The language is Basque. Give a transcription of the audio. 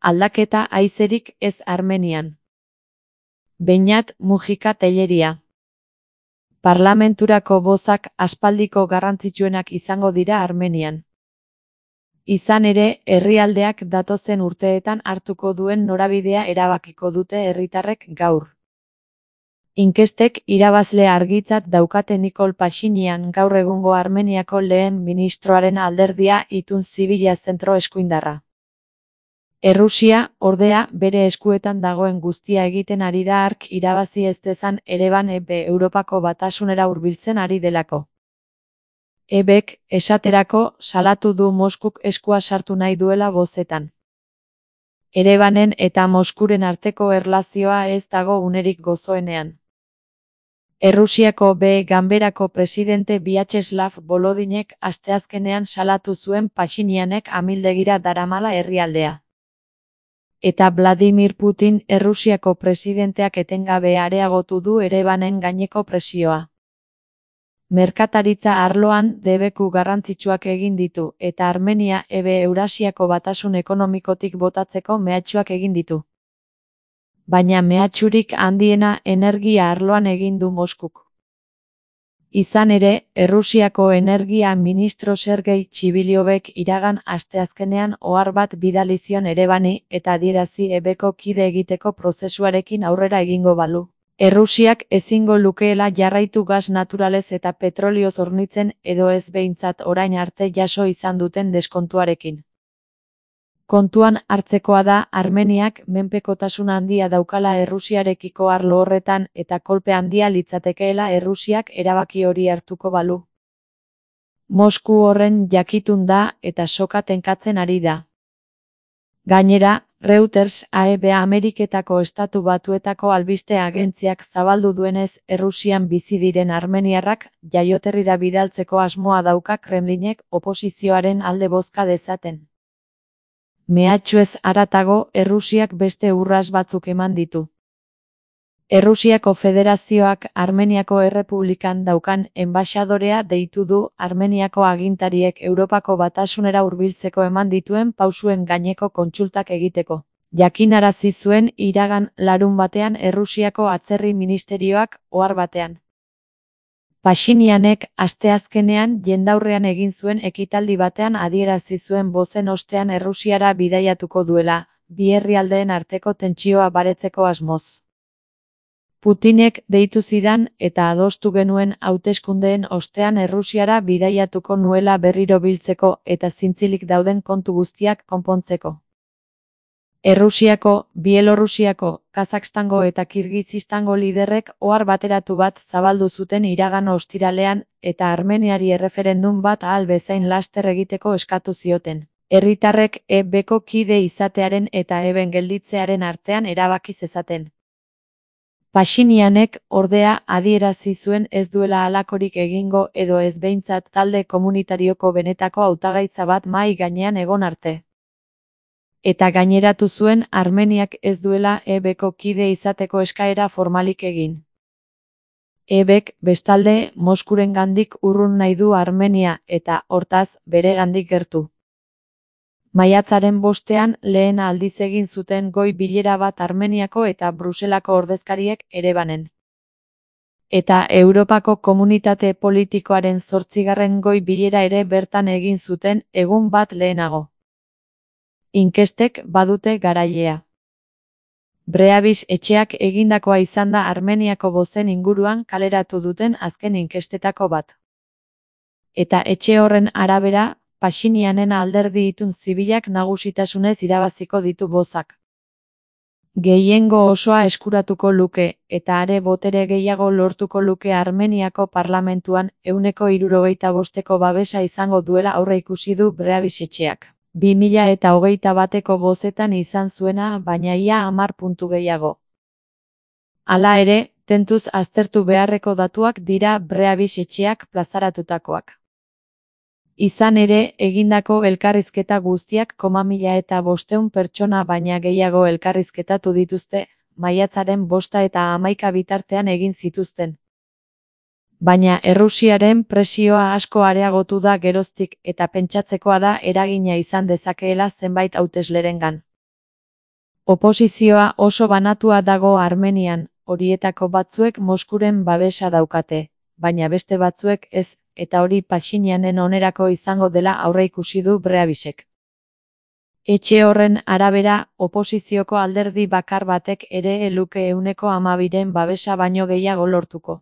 Aldaketa haizerik ez Armenian. Beñat Mujika Telleria. Parlamenturako bozak aspaldiko garrantzitsuenak izango dira Armenian. Izan ere, herrialdeak datozen urteetan hartuko duen norabidea erabakiko dute herritarrek gaur. Inkestek irabazlea argitzat daukate Nikol Pashinyan gaur egungo Armeniako lehen ministroaren alderdia Itun Zibila zentro eskuindarra. Errusia, ordea, bere eskuetan dagoen guztia egiten ari da hark irabazi ez dezan Ereban Europako batasunera hurbiltzen ari delako. Ebek, esaterako, salatu du Moskuk eskua sartu nahi duela bozetan. Erebanen eta Moskuren arteko erlazioa ez dago unerik gozoenean. Errusiako ganberako presidente Vyacheslav Volodinek asteazkenean salatu zuen Pashinyanek amildegira daramala herrialdea. Eta Vladimir Putin Errusiako presidenteak etengabe areagotu du Erebanen gaineko presioa. Merkataritza arloan debeku garrantzitsuak egin ditu eta Armenia Eurasiako batasun ekonomikotik botatzeko mehatxuak egin ditu. Baina mehatxurik handiena energia arloan egin du Moskuk. Izan ere, Errusiako energia ministro Sergei Txibiliovek iragan asteazkenean ohar bat bidali zion Erebani eta adierazi ebeko kide egiteko prozesuarekin aurrera egingo balu. Errusiak ezingo lukeela jarraitu gas naturalez eta petrolioz hornitzen edo ez behintzat orain arte jaso izan duten deskontuarekin. Kontuan hartzekoa da Armeniak menpekotasun handia daukala Errusiarekiko arlo horretan eta kolpe handia litzatekeela Errusiak erabaki hori hartuko balu. Mosku horren jakitun da eta soka tenkatzen ari da. Gainera, Reuters Ameriketako Estatu Batuetako albiste agentziak zabaldu duenez Errusian bizi diren armeniarrak jaioterrira bidaltzeko asmoa dauka Kremlinek oposizioaren alde bozka dezaten. Mehatxuez haratago, Errusiak beste urras batzuk eman ditu. Errusiako Federazioak Armeniako Errepublikan daukan enbaxadorea deitu du Armeniako agintariek Europako batasunera hurbiltzeko eman dituen pausuen gaineko kontsultak egiteko. Jakinarazi zuen iragan larunbatean Errusiako atzerri ministerioak ohar batean. Pashinyanek asteazkenean jendaurrean egin zuen ekitaldi batean adierazi zuen bozen ostean Errusiara bidaiatuko duela, bi herrialdeen arteko tentsioa baretzeko asmoz. Putinek deitu zidan eta adostu genuen hauteskundeen ostean Errusiara bidaiatuko nuela berriro biltzeko eta zintzilik dauden kontu guztiak konpontzeko. Errusiako, Bielorrusiako, Kazakstango eta Kirgizistango liderrek ohar bateratu bat zabaldu zuten iragan ostiralean eta Armeniari erreferendum bat ahal bezain laster egiteko eskatu zioten. Herritarrek ebeko kide izatearen eta eben gelditzearen artean erabaki zezaten. Pashinyanek, ordea, adierazi zuen ez duela halakorik egingo edo ez behintzat talde komunitarioko benetako hautagaitza bat mahai gainean egon arte. Eta gaineratu zuen Armeniak ez duela ebeko kide izateko eskaera formalik egin. Ebek, bestalde, Moskurengandik urrun nahi du Armenia eta, hortaz, beregandik gertu. Maiatzaren 5ean lehen aldiz egin zuten goi bilera bat Armeniako eta Bruselako ordezkariek Erebanen. Eta Europako Komunitate Politikoaren 8. goi bilera ere bertan egin zuten egun bat lehenago. Inkestek badute garailea. Breabis etxeak egindakoa izan da Armeniako bozen inguruan kaleratu duten azken inkestetako bat. Eta etxe horren arabera, Pashinyanen alderdi Itun Zibilak nagusitasunez irabaziko ditu bozak. Gehiengo osoa eskuratuko luke, eta are botere gehiago lortuko luke Armeniako parlamentuan 75%ko babesa izango duela aurreikusi du Breabis etxeak. 2021ko bozetan izan zuena baina ia 10 puntu gehiago. Hala ere, tentuz aztertu beharreko datuak dira Breabis etxeak plazaratutakoak. Izan ere, egindako elkarrizketa guztiak 1.500 pertsona baina gehiago elkarrizketatu dituzte, maiatzaren 5 eta 11 bitartean egin zituzten. Baina Errusiaren presioa asko areagotu da geroztik eta pentsatzekoa da eragina izan dezakeela zenbait hauteslerengan. Oposizioa oso banatua dago Armenian, horietako batzuek Moskuren babesa daukate, baina beste batzuek ez, eta hori Paxinianen onerako izango dela aurreikusi du Breabisek. Etxe horren arabera, oposizioko alderdi bakar batek ere ez luke 12% babesa baino gehiago lortuko.